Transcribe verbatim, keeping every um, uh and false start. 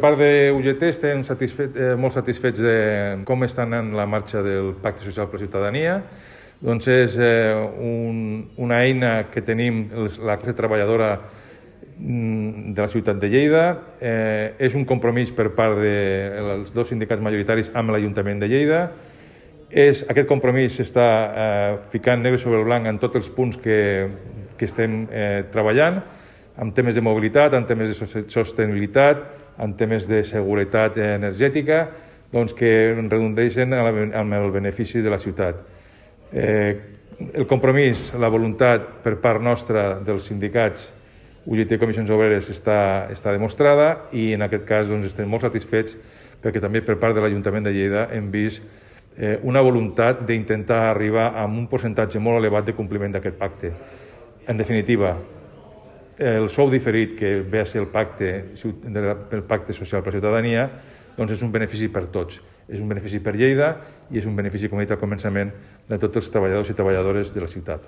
Per part d'U G T estem satisfet, eh, molt satisfets de com està anant la marxa del Pacte Social per la Ciutadania. Doncs és eh, un, una eina que tenim la classe treballadora de la ciutat de Lleida. Eh, és un compromís per part dels dos sindicats majoritaris amb l'Ajuntament de Lleida. És, aquest compromís s'està eh, ficant negre sobre el blanc en tots els punts que, que estem eh, treballant, en temes de mobilitat, en temes de sostenibilitat, en temes de seguretat energètica, doncs que redundeixen amb el benefici de la ciutat. Eh, el compromís, la voluntat per part nostra dels sindicats U G T i Comissions Obreres està, està demostrada i en aquest cas doncs, estem molt satisfets perquè també per part de l'Ajuntament de Lleida hem vist eh, una voluntat d'intentar arribar a un percentatge molt elevat de compliment d'aquest pacte. En definitiva, el sou diferit que ve a ser el pacte, el pacte social per la ciutadania doncs és un benefici per tots. És un benefici per Lleida i és un benefici, com he dit al començament, de tots els treballadors i treballadores de la ciutat.